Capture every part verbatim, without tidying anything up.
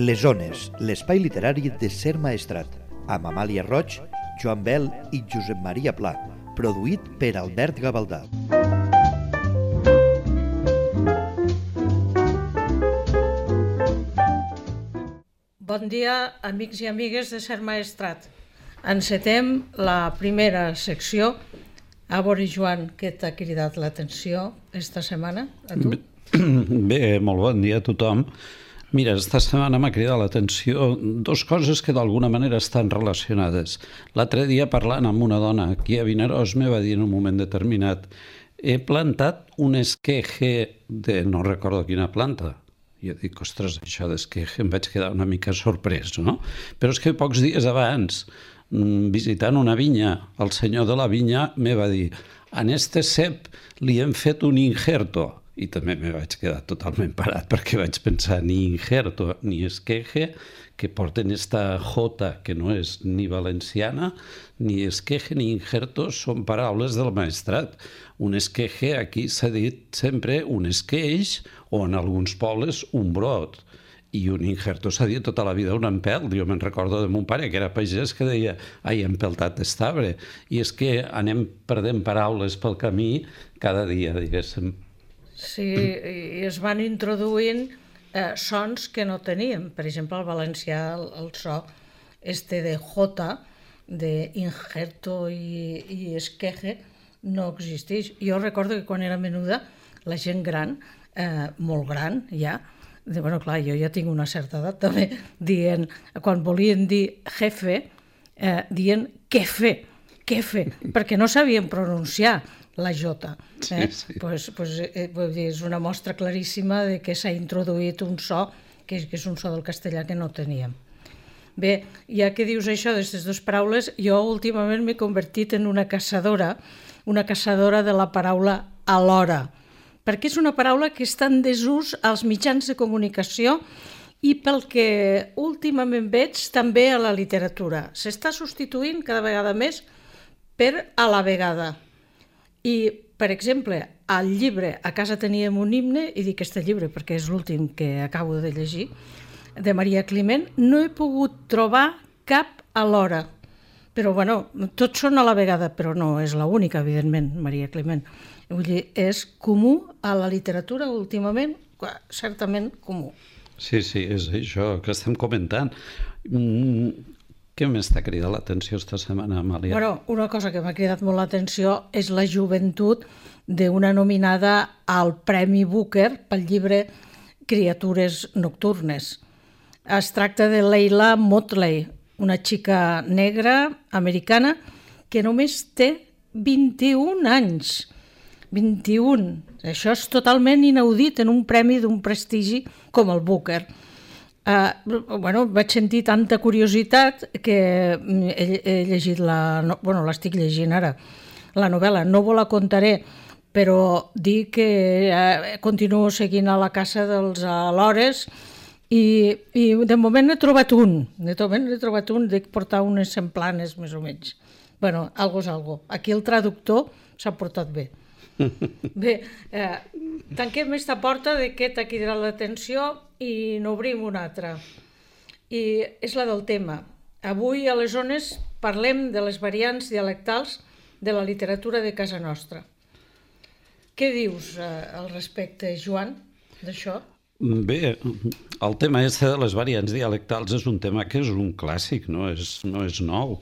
Les Ones, l'espai literari de Ser Maestrat, amb Amàlia Roig, Joan Bel i Josep Maria Pla, produït per Albert Gavaldà. Bon dia, amics i amigues de Ser Maestrat. Encetem la primera secció. A veure, Joan, què t'ha cridat l'atenció esta setmana, a tu? Bé, molt bon dia a tothom. Mira, esta setmana m'ha cridat l'atenció dues coses que d'alguna manera estan relacionades. L'altre dia, parlant amb una dona aquí a Vinaròs, me va dir en un moment determinat: he plantat un esqueje de no recordo quina planta. Jo dic, ostres, això d'esqueje, em vaig quedar una mica sorprès, no? Però és que pocs dies abans, visitant una vinya, el senyor de la vinya me va dir: en este cep li hem fet un injerto. I també me vaig quedar totalment parat perquè vaig pensar ni injerto ni esqueje, que porten esta jota que no és ni valenciana, ni esqueje ni injerto són paraules del maestrat. Un esqueje aquí s'ha dit sempre un esqueix o en alguns pobles un brot. I un injerto s'ha dit tota la vida un empelt. Jo me'n recordo de mon pare, que era pagès, que deia ai, empeltat d'estabre. I és que anem perdent paraules pel camí cada dia, diguéssim. Sí, i es van introduint eh, sons que no teníem. Per exemple, al valencià el, el so este de jota, de injerto i, i esqueje, no existeix. Jo recordo que quan era menuda, la gent gran, eh, molt gran ja, de, bueno, clar, jo ja tinc una certa edat també, dient, quan volien dir jefe, eh, dient quefe, quefe, perquè no sabien pronunciar la jota. Eh? Sí, sí. Pues, pues, eh, vull dir, és una mostra claríssima de que s'ha introduït un so, que és, que és un so del castellà que no teníem. Bé, ja que dius això d'aquestes dues paraules, jo últimament m'he convertit en una caçadora, una caçadora de la paraula alhora, perquè és una paraula que està en desús als mitjans de comunicació i pel que últimament veig també a la literatura. S'està substituint cada vegada més per a la vegada. I, per exemple, al llibre A casa teníem un himne, i dic este llibre perquè és l'últim que acabo de llegir, de Maria Climent, no he pogut trobar cap alhora. Però, bueno, tots són a la vegada, però no és l'única, evidentment, Maria Climent. Vull dir, és comú a la literatura últimament, certament comú. Sí, sí, és això que estem comentant. Mm. Què més t'ha cridat l'atenció esta setmana, Amàlia? Bueno, una cosa que m'ha cridat molt l'atenció és la joventut d'una nominada al Premi Booker pel llibre Criatures nocturnes. Es tracta de Leila Motley, una xica negra americana que només té vint-i-un anys. vint-i-un. Això és totalment inaudit en un premi d'un prestigi com el Booker. Uh, bueno, vaig sentir tanta curiositat que he, he llegit la... No, bueno, l'estic llegint ara, la novel·la. No vos la contaré, però dic que uh, continuo seguint a la caça dels alhores i, i de moment n'he trobat un. De moment n'he trobat un, dic portar unes semplanes, més o menys. Bueno, algo és algo. Aquí el traductor s'ha portat bé. Bé, eh, tanquem aquesta porta de què t'ha cridat l'atenció i n'obrim una altra. I és la del tema. Avui a les Ones parlem de les variants dialectals de la literatura de casa nostra. Què dius eh, al respecte, Joan, d'això? Bé, el tema este de les variants dialectals és un tema que és un clàssic, no és, no és nou.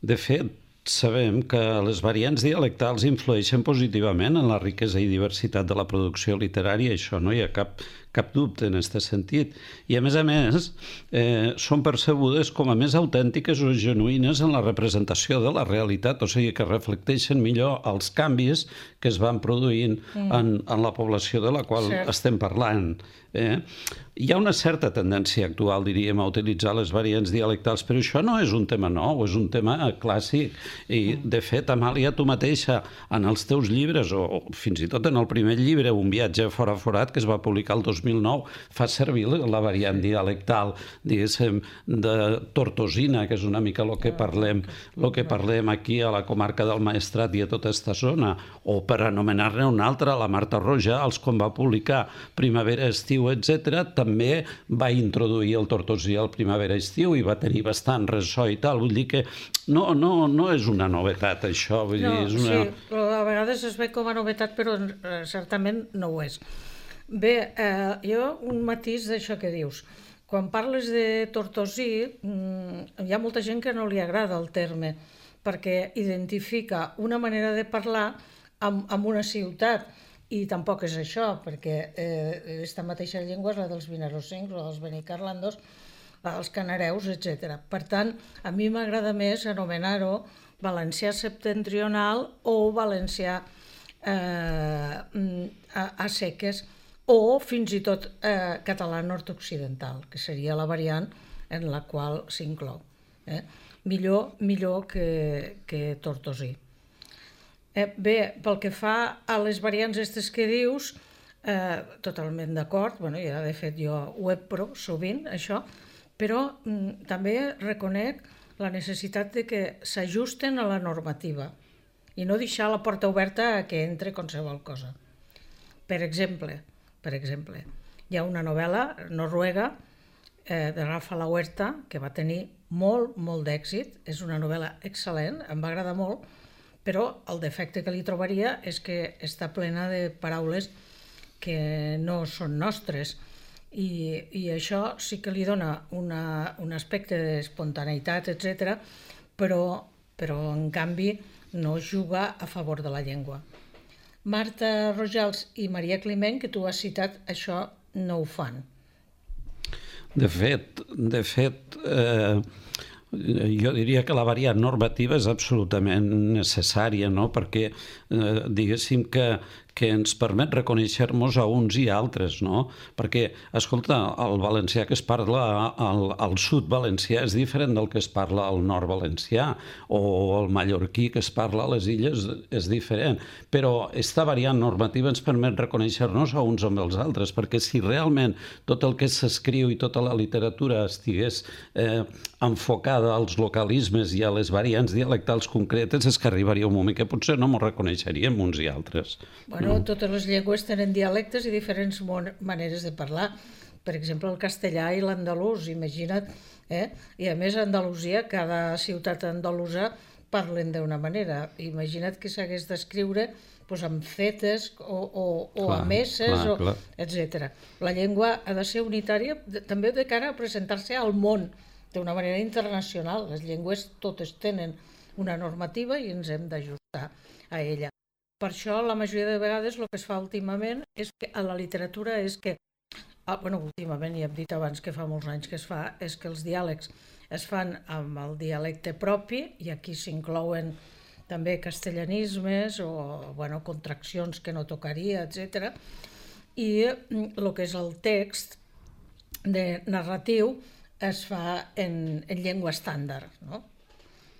De fet, sabem que les variants dialectals influeixen positivament en la riquesa i diversitat de la producció literària, això no hi ha cap, cap dubte en aquest sentit. I a més a més, eh, són percebudes com a més autèntiques o genuïnes en la representació de la realitat, o sigui que reflecteixen millor els canvis que es van produint mm. en, en la població de la qual Cert. estem parlant. Eh? Hi ha una certa tendència actual, diríem, a utilitzar les variants dialectals, però això no és un tema nou, és un tema clàssic. I, de fet, Amàlia, tu mateixa, en els teus llibres, o fins i tot en el primer llibre, Un viatge fora forat, que es va publicar el dos mil nou fa servir la variant dialectal, diguéssim, de Tortosina, que és una mica el que parlem, el que parlem aquí a la comarca del Maestrat i a tota aquesta zona, o per anomenar-ne una altra, la Marta Rojals, quan va publicar Primavera, Estiu, etcètera, també va introduir el tortosí al Primavera-Estiu i va tenir bastant ressò i tal. Vull dir que no, no, no és una novetat, això. Vull no, dir, és una... sí, a vegades es ve com a novetat, però eh, certament no ho és. Bé, eh, jo un matís d'això que dius. Quan parles de Tortosí, mm, hi ha molta gent que no li agrada el terme, perquè identifica una manera de parlar amb, amb una ciutat, i tampoc és això, perquè eh, aquesta mateixa llengua és la dels vinerosencs o dels benicarlandos, els canareus, etcètera. Per tant, a mi m'agrada més anomenar-ho valencià septentrional o valencià eh, a, a seques, o fins i tot eh, català nord-occidental, que seria la variant en la qual s'inclou. Eh? Millor, millor que, que tortosí. Eh, bé, pel que fa a les variants aquestes que dius, eh, totalment d'acord, bueno, ja de fet jo ho he prou sovint, això, però mm, també reconec la necessitat de que s'ajusten a la normativa i no deixar la porta oberta a que entre qualsevol cosa. Per exemple, per exemple, hi ha una novel·la noruega eh, de Rafa La Huerta que va tenir molt, molt d'èxit, és una novel·la excel·lent, em va agradar molt, però el defecte que li trobaria és que està plena de paraules que no són nostres. I, i això sí que li dona una, un aspecte d'espontaneïtat, etcètera, però, però en canvi no juga a favor de la llengua. Marta Rojals i Maria Climent, que tu has citat, això no ho fan. De fet, de fet eh, jo diria que la variant normativa és absolutament necessària, no? Perquè eh, diguéssim que que ens permet reconèixer-nos a uns i altres, no? Perquè, escolta, el valencià que es parla al, al sud valencià és diferent del que es parla al nord valencià, o el mallorquí que es parla a les illes és diferent, però aquesta variant normativa ens permet reconèixer-nos a uns amb els altres, perquè si realment tot el que s'escriu i tota la literatura estigués eh, enfocada als localismes i a les variants dialectals concretes, és que arribaria un moment que potser no ens reconeixeríem uns i altres. Bueno, no, totes les llengües tenen dialectes i diferents maneres de parlar. Per exemple, el castellà i l'andalús, imagina't. Eh? I a més, a Andalusia, cada ciutat andalusa parlen d'una manera. Imagina't que s'hagués d'escriure doncs, amb fetes o, o, o clar, a messes, clar, o, clar. etcètera. La llengua ha de ser unitària, també de cara a presentar-se al món d'una manera internacional. Les llengües totes tenen una normativa i ens hem d'ajustar a ella. Per això, la majoria de vegades, el que es fa últimament és que a la literatura és que, ah, bueno, últimament, ja hem dit abans que fa molts anys que es fa, és que els diàlegs es fan amb el dialecte propi i aquí s'inclouen també castellanismes o, bueno, contraccions que no tocaria, etcètera. I el que és el text de narratiu es fa en, en llengua estàndard, no?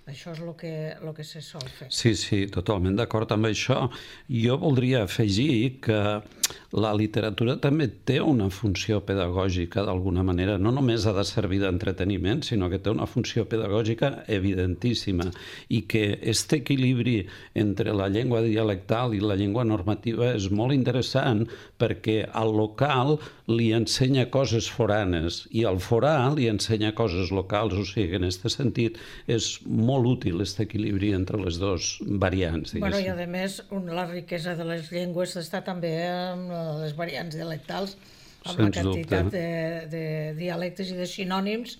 Això és el que, el que se sol fer. Sí, sí, totalment d'acord amb això. Jo voldria afegir que la literatura també té una funció pedagògica d'alguna manera. No només ha de servir d'entreteniment, sinó que té una funció pedagògica evidentíssima i que aquest equilibri entre la llengua dialectal i la llengua normativa és molt interessant perquè al local li ensenya coses foranes i al forà li ensenya coses locals. O sigui, en aquest sentit és molt molt útil aquest equilibri entre les dues variants. Bueno, i a més, la riquesa de les llengües està també amb les variants dialectals, amb la quantitat de, de dialectes i de sinònims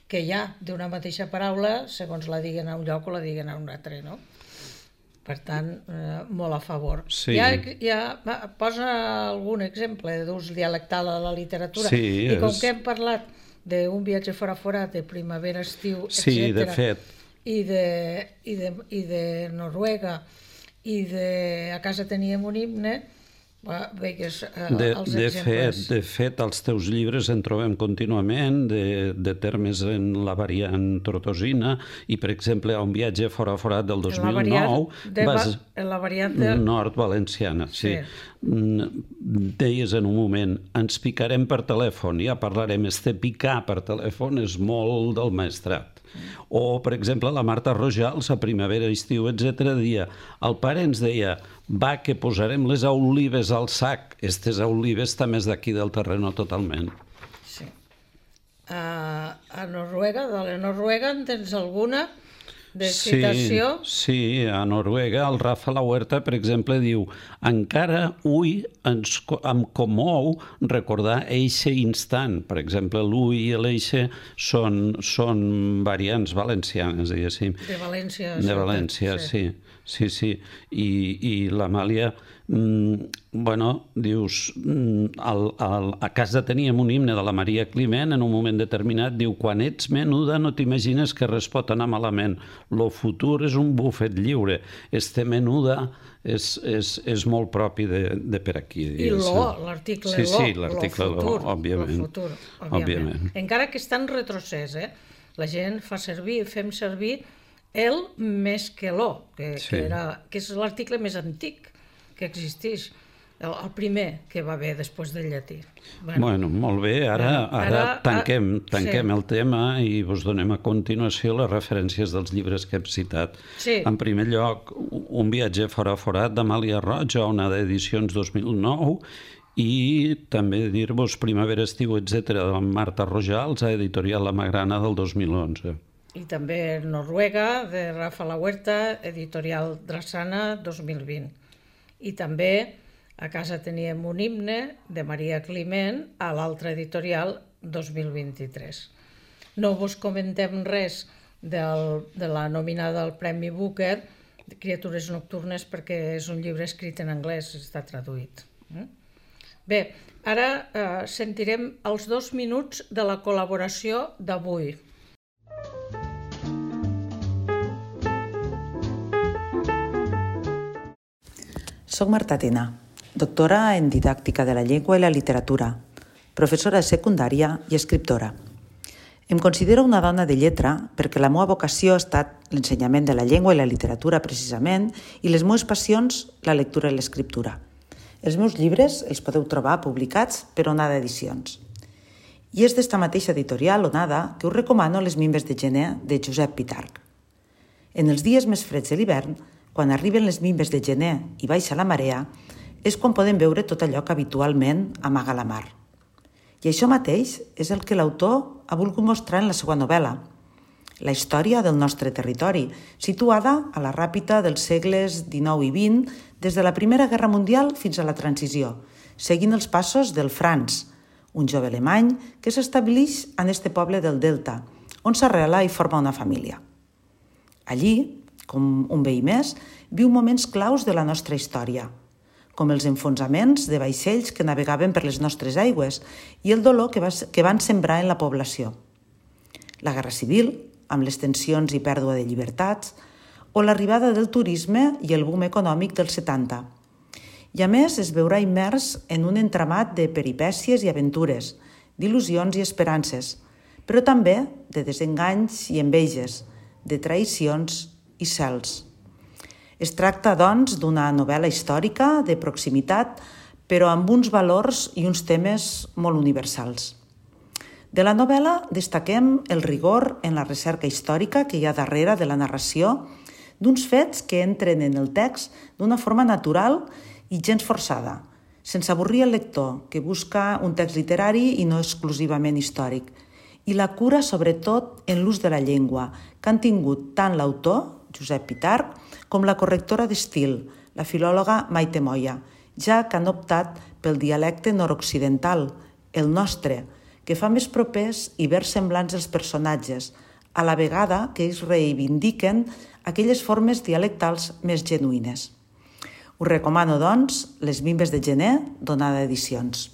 que hi ha d'una mateixa paraula, segons la diguen a un lloc o la diguen a un altre, no? Per tant, eh, molt a favor. Sí. Ja, ja posa algun exemple d'ús dialectal a la literatura. Sí, I com és... que hem parlat d'un viatge fora forat, de primavera, estiu, etcètera. Sí, de fet. I de, i, de, i de Noruega i de A casa teníem un himne, veigues eh, de, els de exemples. Fet, de fet, als teus llibres en trobem contínuament de, de termes en la variant tortosina i, per exemple, a un viatge fora forat del dos mil nou de, vas... en la variant de... nord-valenciana, sí. sí. deies en un moment, ens picarem per telèfon, ja parlarem, este picar per telèfon és molt del maestrat. O, per exemple, la Marta Rojals, a primavera, estiu, etcètera, deia, el pare ens deia, va, que posarem les olives al sac. Estes olives també és d'aquí del terreno totalment. Sí. A, a Noruega, de la Noruega, en tens alguna de citació? Sí, sí, a Noruega el Rafa La Huerta, per exemple, diu encara ui ens, em comou recordar eixe instant. Per exemple, l'ui i l'eixe són, són variants valencianes, diguéssim. De València. De València, sí. Sí, sí. I, i l'Amàlia, mm, bueno, dius, mm, al, al, a casa teníem un himne de la Maria Climent, en un moment determinat, diu, quan ets menuda no t'imagines que res pot anar malament. Lo futur és un bufet lliure. Este menuda és, és, és molt propi de, de per aquí. I l'o, l'article sí, l'o, sí, l'article l'o, òbviament. Lo futur, òbviament. òbviament. Encara que està en retrocés, eh? La gent fa servir, fem servir el més que l'o, que, sí. que, era, que és l'article més antic que existeix, el, el primer que va haver després del llatí. Bueno, bueno molt bé, ara, ara, ara tanquem, tanquem sí. el tema i us donem a continuació les referències dels llibres que hem citat. Sí. En primer lloc, Un viatge fora forat d'Amàlia Roig, una d'edicions dos mil nou, i també dir-vos Primavera, estiu, etcètera, de Marta Rojals, a Editorial La Magrana del dos mil onze. I també Noruega, de Rafa La Huerta, Editorial Drassana, dos mil vint. I també a casa teníem un himne de Maria Climent a l'altra editorial dos mil vint-i-tres. No vos comentem res del, de la nominada al Premi Booker, de Criatures nocturnes, perquè és un llibre escrit en anglès, està traduït. Bé, ara eh, sentirem els dos minuts de la col·laboració d'avui. Soc Marta Tena, doctora en Didàctica de la Llengua i la Literatura, professora de secundària i escriptora. Em considero una dona de lletra perquè la meva vocació ha estat l'ensenyament de la llengua i la literatura precisament i les meves passions, la lectura i l'escriptura. Els meus llibres els podeu trobar publicats per Onada Edicions. I és d'esta mateixa editorial, Onada, que us recomano Les mimbes de gener de Josep Pitarch. En els dies més freds de l'hivern, quan arriben les mimbes de gener i baixa la marea, és quan podem veure tot allò que habitualment amaga la mar. I això mateix és el que l'autor ha volgut mostrar en la seva novel·la, la història del nostre territori, situada a la ràpita dels segles dinou i vint, des de la Primera Guerra Mundial fins a la Transició, seguint els passos del Franz, un jove alemany que s'estableix en este poble del Delta, on s'arrela i forma una família. Allí, com un veí més, viu moments claus de la nostra història, com els enfonsaments de vaixells que navegaven per les nostres aigües i el dolor que, va, que van sembrar en la població. La Guerra Civil, amb les tensions i pèrdua de llibertats, o l'arribada del turisme i el boom econòmic dels setanta. I a més es veurà immers en un entramat de peripècies i aventures, d'il·lusions i esperances, però també de desenganys i enveges, de traïcions i cels. Es tracta, doncs, d'una novel·la històrica de proximitat, però amb uns valors i uns temes molt universals. De la novel·la destaquem el rigor en la recerca històrica que hi ha darrere de la narració d'uns fets que entren en el text d'una forma natural i gens forçada, sense avorrir el lector, que busca un text literari i no exclusivament històric, i la cura, sobretot, en l'ús de la llengua, que han tingut tant l'autor, Josep Pitarch, com la correctora d'estil, la filòloga Maite Moya, ja que han optat pel dialecte nord-occidental, el nostre, que fa més propers i versemblants els personatges, a la vegada que ells reivindiquen aquelles formes dialectals més genuïnes. Us recomano, doncs, Les mimbes de gener d'Onada Edicions.